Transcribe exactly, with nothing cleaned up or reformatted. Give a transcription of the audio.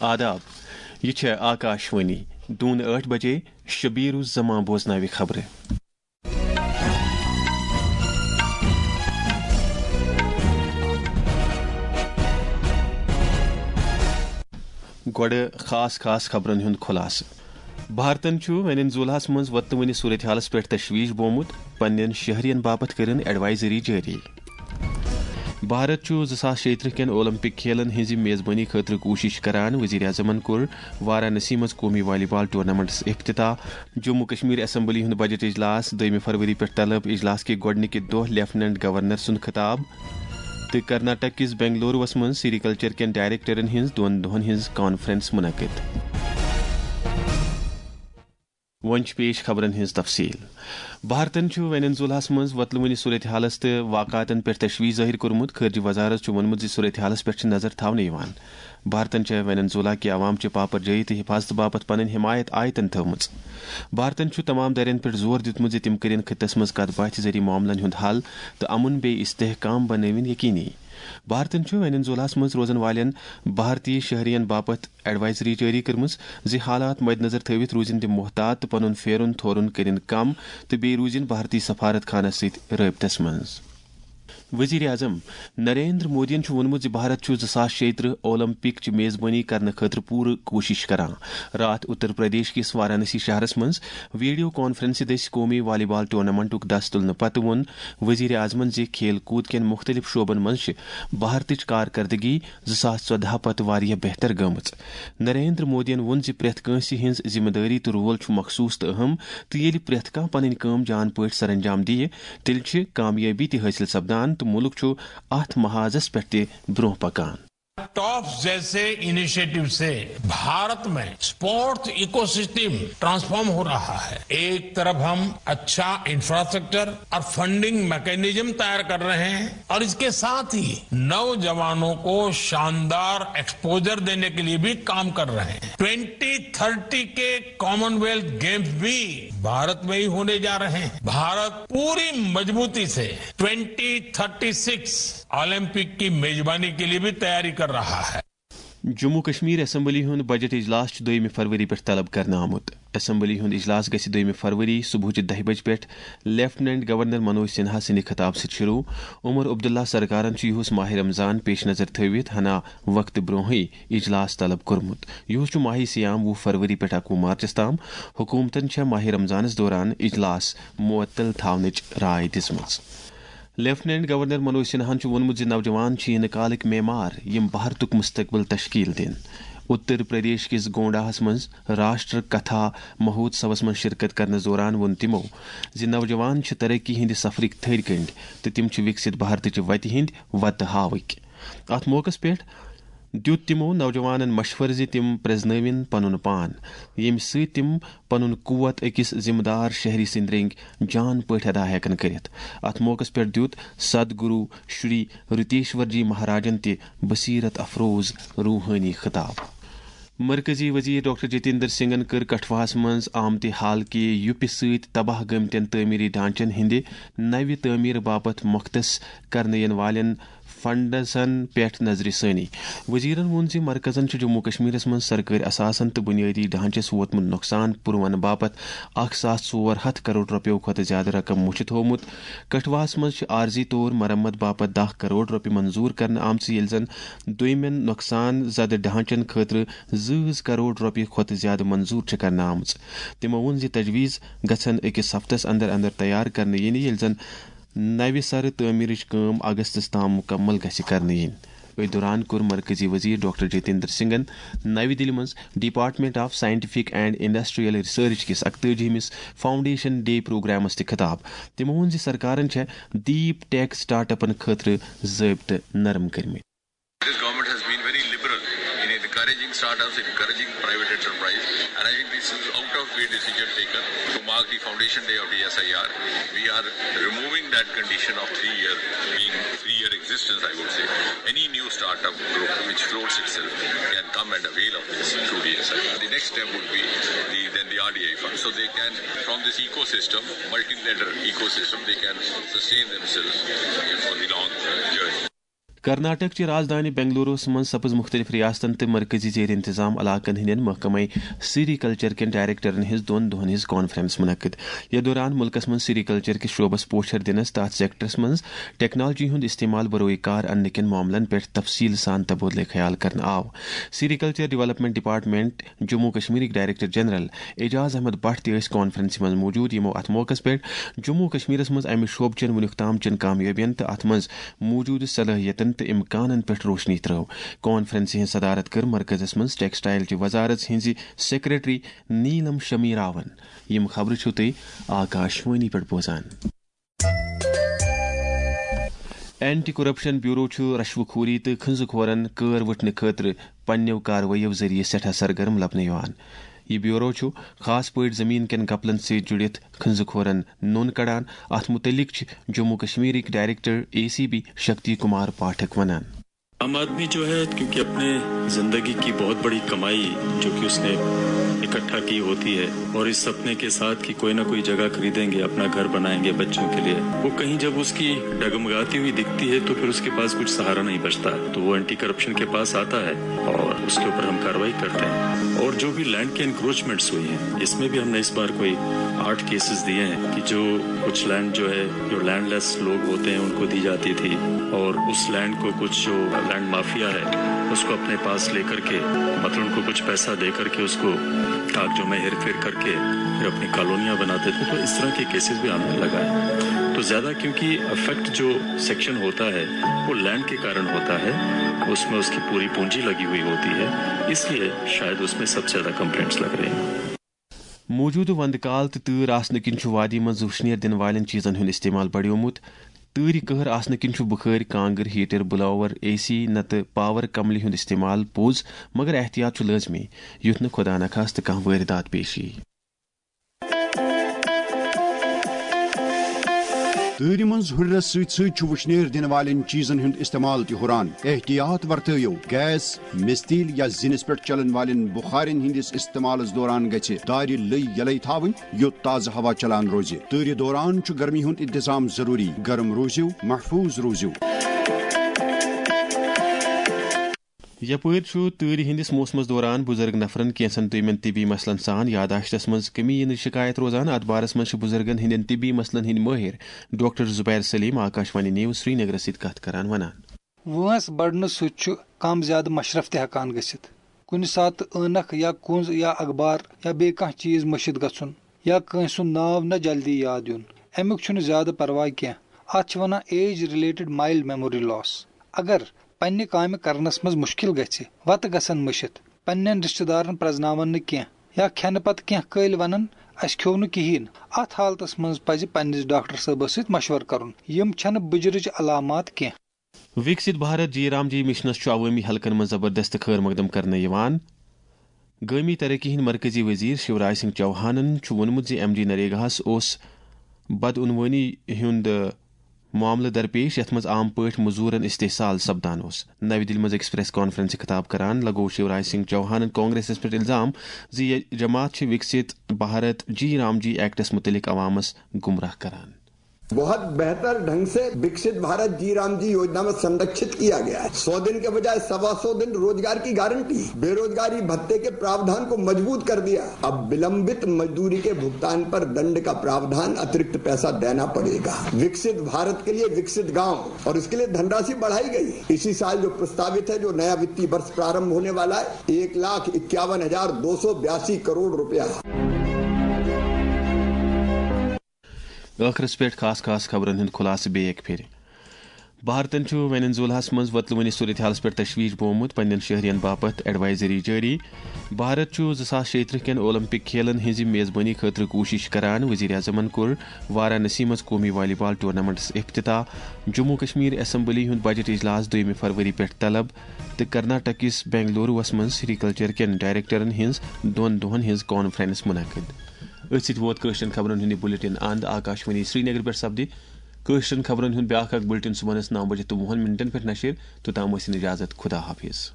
آداب، یہِ چھےٚ آکاشوانی۔ دوٗنہٕ ٲٹھ بجے شبیر الزمان بوزناوِ خبرٕ۔ گۄڈٕ خاص خاص خبرن ہُنٛد خُلاصہٕ۔ بھارتن چھُ ویننزویلاہس منٛز وۄتلہٕ وٕنہِ صورتحالس پٮ۪ٹھ تشویش بومُت، پننٮ۪ن شہرین باپتھ کٔرٕن ایڈوائزری جٲری۔ بھارت چھُ زٕ ساس شیٚیہِ ترٕٛہ کٮ۪ن اولمپک کھیلن ہٕنٛزِ میزبٲنی خٲطرٕ کوٗشش کران، وزیر اعظمن کوٚر وارانسی منٛز قومی والی بال ٹورنامنٹس افتتاح۔ جموں کشمیر اسمبلی ہُنٛد بجٹ اجلاس، دوٚیمہِ فروری پٮ۪ٹھ طلب۔ اجلاس کہِ گۄڈٕنِکہِ دۄہ لیفٹیننٹ گورنر سُنٛد خطاب۔ تہٕ کرناٹک کِس بنگلوروَس منٛز سیریکلچر کٮ۪ن ڈائریکٹرن ہٕنٛز دۄن دۄہَن ہٕنٛز کانفرنس منعقد۔ وۄنۍ چھِ پیش خبرن ہٕنٛز تفصیل۔ بھارتن چھُ ویننزویلاہس منٛز وۄتلہٕ وٕنہِ صورتحالس تہٕ واقعاتن پٮ۪ٹھ تشویش ظٲہِر کوٚرمُت۔ خارجہ وزارت چھُ ووٚنمُت زِ صورتحالس پٮ۪ٹھ چھِ نظر تھاونہٕ یِوان۔ بھارتن چھےٚ ویننزویلا کہِ عوام چہِ پاپرجٲیی تہٕ حفاظتہٕ باپتھ پنٕنۍ حمایت آیتن تھٲومٕژ۔ بھارتن چھُ تمام دٔرین پٮ۪ٹھ زور دیُتمُت زِ تِم کٔرِن خطس منٛز کتھ باتھِ ذٔریعہٕ معاملن ہُنٛد حل تہٕ امن بیٚیہِ استحکام بنٲوِن یقینی۔ بھارتن چھُ ویننزویلاہس منٛز روزن والٮ۪ن بھارتی شہرین باپتھ ایڈوائزری جٲری کٔرمٕژ زِ حالات مدنظر تھٲوِتھ روٗزِن تِم محتاط تہٕ پنُن پھیرُن تھورُن کٔرِن کم تہٕ بیٚیہِ روٗزِن بھارتی سفارت خانس سۭتۍ رٲبطس منٛز۔ وزیر اعظم نریندر مودیَن چھُ ووٚنمُت زِ بھارت چھُ زٕ ساس شیٚیہِ ترٕٛہ اولمپک چہِ میزبٲنی کرنہٕ خٲطرٕ پوٗرٕ کوٗشش کران۔ راتھ اتر پردیش کِس وارانسی شہرس منٛز ویڈیو کانفرنسہِ دٔسۍ قومی والی بال ٹورنامنٹُک دس تُلنہٕ پتہٕ ووٚن وزیر اعظمن زِ کھیل کوٗد کٮ۪ن مُختٔلِف شعبن منٛز چھِ بھارتٕچ کارکردگی زٕ ساس ژۄدہ پتہٕ واریاہ بہتر گٔمٕژ۔ نریندر مودیَن ووٚن زِ پرٛٮ۪تھ کٲنٛسہِ ہٕنٛز ذمہٕ دٲری تہٕ رول چھُ مخصوص تہٕ اہم، تہٕ ییٚلہِ پرٛٮ۪تھ کانٛہہ پنٕنۍ کٲم جان پٲٹھۍ سرانجام دِیہِ، تیٚلہِ چھِ کامیٲبی تہِ حٲصِل سپدان تہٕ مُلک چھُ اتھ محاذس پٮ۪ٹھ تہِ برٛونٛہہ پکان۔ ٹاپس جیسے इनिशिएटिव से भारत में स्पोर्ट्स इकोसिस्टम ट्रांसफॉर्म हो रहा है। एक तरफ हम अच्छा इंफ्रास्ट्रक्चर और फंडिंग मैकेनिज्म तैयार कर रहे हैं और इसके साथ ही नौजवानों को शानदार एक्सपोजर देने के लिए भी काम कर रहे हैं। ट्वेंटी थर्टी के कॉमनवेल्थ गेम्स भी भारत में ही होने जा रहे हैं। भारत पूरी मजबूती से ट्वेंटी थर्टी सिक्स ओलंपिक की मेजबानी के लिए भी तैयारी कर रहा है। جموں کشمیر اسمبلی ہُنٛد بجٹ اجلاس چھُ دوٚیمہِ فروری پٮ۪ٹھ طلب کرنہٕ آمُت۔ اسمبلی ہُنٛد اجلاس گژھِ دوٚیمہِ فروری صبحٕچہِ دَہہِ بجہِ پٮ۪ٹھ لیفٹیننٹ گورنر منوج سنہا سٕنٛدِ خطاب سۭتۍ شروع۔ عمر عبداللہ سرکارن چھُ یِہُس ماہ رمضان پیش نظر تھٲوِتھ ہنا وقتہٕ برونٛہٕے اجلاس طلب کوٚرمُت۔ یِہُس چھُ ماہ صیام وُہ فروری پٮ۪ٹھ اَکوُہ مارچس تام۔ حکوٗمتن چھےٚ ماہ رمضانس دوران اجلاس معطل تھاونٕچ راے دِژمٕژ۔ لیفٹیننٹ گورنر منوج سنہاہن چھُ ووٚنمُت زِ نوجوان چھِ یِنہٕ کالٕکۍ معمار، یِم بھارتُک مستقبل تشکیل دِن۔ اتر پردیش کِس گونڈاہس منٛز راشٹر کتھا مہوتسوس منٛز شرکت کرنس دوران ووٚن تِمو زِ نوجوان چھِ ترقی ہٕنٛدِ سفرٕکۍ تھٔدۍ کنڈۍ تہٕ تِم چھِ وِکسِت بھارتٕچہِ وتہِ ہٕنٛدۍ وتہٕ ہاوٕکۍ۔ اتھ موقعس پٮ۪ٹھ دیُت تِمو نوجوانن مشورٕ زِ تِم پرزنٲوِن پنُن پان، ییٚمہِ سۭتۍ تِم پنُن قوت أکِس ذمہٕ دار شہری سٕنٛدۍ رٔنگۍ جان پٲٹھۍ ادا ہٮ۪کن کٔرِتھ۔ اتھ موقعس پٮ۪ٹھ دیُت سد گرو شری رتیشور جی مہاراجن تہِ بصیرت افروز روحٲنی خطاب۔ مرکزی وزیر ڈاکٹر جتیندر سنگھن کٔر کٹھواہس منٛز آمتہِ حال کہِ یُپہِ سۭتۍ تباہ گٔمتٮ۪ن تعمیری ڈھانچن ہٕنٛدِ نوِ تعمیرٕ باپتھ مختص کرنہٕ یِنہٕ والٮ۪ن فنڈزن پٮ۪ٹھ نظرِ ثٲنی۔ وزیرن ووٚن زِ مرکزن چھُ جموں کشمیرس منٛز سرکٲرۍ اثاثن تہٕ بنیٲدی ڈھانچس ووتمُت نۄقصان پُرونہٕ باپتھ اکھ ساس ژور ہتھ کرور رۄپیو کھۄتہٕ زیادٕ رقم مُچھِ تھوومُت۔ کٹھواہس منٛز چھِ عارضی طور مرمت باپتھ دَہ کرور رۄپیہِ منظور کرنہٕ آمژٕ، ییٚلہِ زن دوٚیمٮ۪ن نۄقصان زدٕ ڈھانچن خٲطرٕ زٕ کرور رۄپیہِ کھۄتہٕ زیادٕ منظور چھِ کرنہٕ آمٕژ۔ تِمو ووٚن زِ تجویز گژھن أکِس ہفتس اندر اندر تیار کرنہٕ یِنہِ، ییٚلہِ زن نوِ سرٕ تعمیرٕچ کٲم اگستس تام مکمل گژھِ کرنہٕ یِنۍ۔ أتھۍ دوران کوٚر مرکزی وزیر ڈاکٹر جتیندر سنگھن نَوِ دِلہِ منٛز Department of Scientific and Industrial Research کِس اکتٲجی ہمِس فاؤنڈیشن ڈے پروگرامس تہِ خطاب۔ تِمو ووٚن زِ سرکارن چھےٚ ڈیپ ٹیک سٹارٹ اپن خٲطرٕ ضٲبطہٕ نرم کٔرمٕتۍ۔ This government has been very liberal in encouraging startups, encouraging private enterprise, and I think this is out of way decision taken to mark the foundation day of D S I R. We are removing that condition of three year being three year existence, I would say. Any new startup group which floats itself can come and avail of this through D S I R. The next step would be the, then the R D I fund. So they can, from this ecosystem, multi-letter ecosystem, they can sustain themselves for the long journey. Karnataka چہِ رازدٲنہِ بنگلوروَس منٛز سپٕز مُختٔلِف ریاستن تہٕ مرکزی زیر انتظام علاقن ہٕنٛدٮ۪ن محکمہٕ سیری کلچر کٮ۪ن ڈائریکٹرن ہٕنٛز دۄن دۄہن ہٕنٛز کانفرنس منعقد۔ یَتھ دوران مُلکَس منٛز سیری کلچر کِس شعبس پوچھر دِنس تہٕ اتھ سیکٹرس منٛز ٹیکنالوجی ہُنٛد استعمال بروئے کار اننہٕ کٮ۪ن معاملن پٮ۪ٹھ تفصیل سان تبادلہٕ خیال کرنہٕ آو۔ Sericulture development department Jammu کشمیرٕکۍ ڈائریکٹر جنرل اعجاز احمد بٹ تہِ ٲسۍ کانفرنسہِ منٛز موجود، یِمو اتھ موقعس پٮ۪ٹھ جموں کشمیرس منٛز امہِ شعبہٕ چٮ۪ن وُنیُک تام چٮ۪ن کامیٲبین تہٕ اتھ منٛز موجودٕ صلٲحیتن تہٕ امکانن پٮ۪ٹھ روشنی ترٲو۔ کانفرنسہِ ہٕنٛز صدارت کٔر مرکزس منٛز ٹیکسٹائل چہِ وزارت ہٕنٛزِ سیکرٹری نیلم شمیراون۔ یِم خبرٕ چھِو تُہۍ آکاشوانی پٮ۪ٹھ بوزان۔ اینٹی کرپشن بیورو چھُ رشوٕ خوری تہٕ کھنزٕ کھورن کٲر وٕٹھنہٕ خٲطرٕ پننیو کاروٲییو ذٔریعہٕ سٮ۪ٹھاہ سرگرم لبنہٕ یِوان۔ یہِ بیورو چھُ خاص پٲٹھۍ زٔمیٖن کٮ۪ن گپلن سۭتۍ جُڑِتھ کھنزٕ کھورن نوٚن کڑان۔ اتھ مُتعلق چھِ جموں کشمیرٕکۍ director A C B Shakti Kumar Pathak ونان۔ आम आदमी जो है, क्योंकि अपने जिंदगी की बहुत बड़ी कमाई जो कि उसने इकट्ठा की होती है और इस सपने के साथ कि कोई ना कोई जगह खरीदेंगे, अपना घर बनाएंगे बच्चों के लिए, वो कहीं जब उसकी डगमगाती हुई दिखती है तो फिर उसके पास कुछ सहारा नहीं बचता। तो वो एंटी करप्शन के पास आता है और उसके ऊपर हम कार्रवाई करते हैं। और जो भी लैंड के एनक्रोचमेंट्स हुई हैं, इसमें भी हमने इस बार कोई आठ केसेस दिए हैं कि जो कुछ लैंड जो है, जो लैंडलेस लोग होते हैं, उनको दी जाती थी और उस लैंड को कुछ जो लैंड माफिया है, उसको अपने पास लेकर के, मतलब उनको कुछ पैसा दे करके उसको कागजों में हेरफेर करके फिर अपनी कॉलोनियां बनाते थे। तो इस तरह के केसेस भी हमने लगाए। तो ज्यादा क्योंकि अफेक्ट जो सेक्शन होता है, वो लैंड के कारण होता है, उसमें उसकी पूरी पूंजी लगी हुई होती है, इसलिए शायद उसमें सबसे ज्यादा कंप्लेंट्स लग रही हैं। موجودٕ وندٕ کال تہٕ تۭر آسنہٕ کِنۍ چھُ وادی منٛز وُشنیر دِنہٕ والٮ۪ن چیٖزن ہُنٛد استعمال بڑیومُت۔ تۭرِ قہر آسنہٕ کِنۍ چھُ بُخٲرۍ، کانٛگٕر، ہیٹر، بلاور، اے سی نتہٕ پاور کملہِ ہُنٛد استعمال پوٚز، مگر احتیاط چھُ لٲزمی، یُتھ نہٕ خۄدا نخواستہٕ کانٛہہ وٲرِدات پیش یِیہِ۔ تۭرِ منٛز ہُرٮ۪رس سۭتۍ سۭتۍ چھُ وُشنیر دِنہٕ والٮ۪ن چیٖزن ہُنٛد استعمال تہِ ہُران۔ احتیاط ورتٲیِو، گیس، مِستیٖل یا زِنِس پٮ۪ٹھ چلن والٮ۪ن بُخارٮ۪ن ہٕنٛدِس استعمالس دوران گژھِ دارِ لٔۍ یلے تھاوٕنۍ، یوٚت تازٕ ہوا چلان روزِ۔ تۭرِ دوران چھُ گرمی ہُنٛد انتظام ضروٗری۔ گرم روٗزِو، محفوٗظ روٗزِو۔ یپٲرۍ چھُ تۭرِ ہٕنٛدِس موسمس دوران بُزرگ نفرن کینٛژن دویمٮ۪ن طبی مسلن سان یاداشتس منٛز کمی یِنٕچ شکایت روزان۔ اتھ بارس منٛز چھِ بُزرگن ہٕنٛدٮ۪ن طبی مسلن ہٕنٛدۍ مٲہِر ڈاکٹر زبیر سلیم آکاشوانی نیوز سرینگرس سۭتۍ کتھ کران ونان۔ وٲنٛس بڑنہٕ سۭتۍ چھُ کم زیادٕ مشرف تہِ ہٮ۪کان گٔژھِتھ۔ کُنہِ ساتہٕ عٲنکھ یا کُنٛز یا اخبار یا بیٚیہِ کانٛہہ چیٖز مٔشِتھ گژھُن یا کٲنٛسہِ ہُنٛد ناو نہ جلدی یاد یُن، امیُک چھُنہٕ زیادٕ پرواے کینٛہہ۔ اتھ چھِ ونان ایج رِلیٹڈ مایلڈ میموری لاس۔ اگر پننہِ کامہِ کرنس منٛز مُشکِل گژھِ، وتہٕ گژھن مٔشِتھ، پننٮ۪ن رشتہٕ دارن پرزناون نہٕ کینٛہہ یا کھٮ۪نہٕ پتہٕ کینٛہہ کٲلۍ ونن، اسہِ کھیوٚو نہٕ کِہیٖنۍ، اتھ حالتس منٛز پزِ پننِس ڈاکٹر صٲبس سۭتۍ مشورٕ کرُن۔ یِم چھنہٕ بُجرٕچ علامات کینٛہہ۔ وِکسِت بھارت جی رام جی مِشنَس چھُ عوٲمی حلقن منٛز زبردست خٲر مقدم کرنہٕ یِوان۔ گٲمی ترقی ہٕنٛدۍ مرکزی وزیر شیوراج سنگھ چوہانَن چھُ ووٚنمُت زِ ایم جی نریگاہَس اوس بدعنوٲنی ہُنٛد معاملہٕ درپیش، یَتھ منٛز عام پٲٹھۍ مٔزوٗرَن استحصال سپدان اوس۔ نَوِ دِلہِ منٛز أکِس پریس کانفرنسہِ خطاب کران لگوو شیوراج سنگھ چوہانَن کانگریسَس پٮ۪ٹھ الزام زِ یہِ جماعت چھِ وِکسِت بھارت جی رام جی ایکٹَس مُتعلِق عوامَس گمراہ کران۔ बहुत बेहतर ढंग से विकसित भारत जी राम जी योजना में संरक्षित किया गया है। सौ दिन के बजाय सवा सौ दिन रोजगार की गारंटी, बेरोजगारी भत्ते के प्रावधान को मजबूत कर दिया। अब विलंबित मजदूरी के भुगतान पर दंड का प्रावधान, अतिरिक्त पैसा देना पड़ेगा। विकसित भारत के लिए विकसित गांव, और इसके लिए धनराशि बढ़ाई गई। इसी साल जो प्रस्तावित है, जो नया वित्तीय वर्ष प्रारंभ होने वाला है, एक लाख इक्यावन हजार दो सौ बयासी करोड़ रुपया। ٲخرس پٮ۪ٹھ خاص خاص خبرن ہُنٛد خُلاصہٕ بیٚیہِ اکہِ پھِرِ۔ بھارتن چھُ وینزویلاہس منٛز وۄتلوٕنہِ صورتحالس پٮ۪ٹھ تشویش بومُت، پننٮ۪ن شہرین باپتھ ایڈوائزری جٲری۔ بھارت چھُ زٕ ساس شیٚیہِ ترٕٛہ کٮ۪ن اولمپک کھیلن ہٕنٛزِ میزبٲنی خٲطرٕ کوٗشش کران۔ وزیر اعظمن کوٚر وارانسی منٛز قومی والی بال ٹورنامنٹس افتتاح۔ جموں کشمیر اسمبلی ہُنٛد بجٹ اجلاس دوٚیمہِ فروری پٮ۪ٹھ طلب تہٕ کرناٹک کِس بنگلوروَس منٛز سیریکلچر کٮ۪ن ڈائریکٹرن ہٕنٛز دۄن دۄہن ہٕنٛز کانفرنس منعقد۔ أتھۍ سۭتۍ ووت کٲشرٮ۪ن خبرن ہُنٛد یہِ بُلٹن اند۔ آکاشوانی سرینگر پٮ۪ٹھ سپدِ کٲشرٮ۪ن خبرن ہُنٛد بیٛاکھ اکھ بُلٹن صبحنس نو بجے تہٕ وُہن منٹن پٮ۪ٹھ نشر۔ توٚتام ٲسِن اجازت، خدا حافظ۔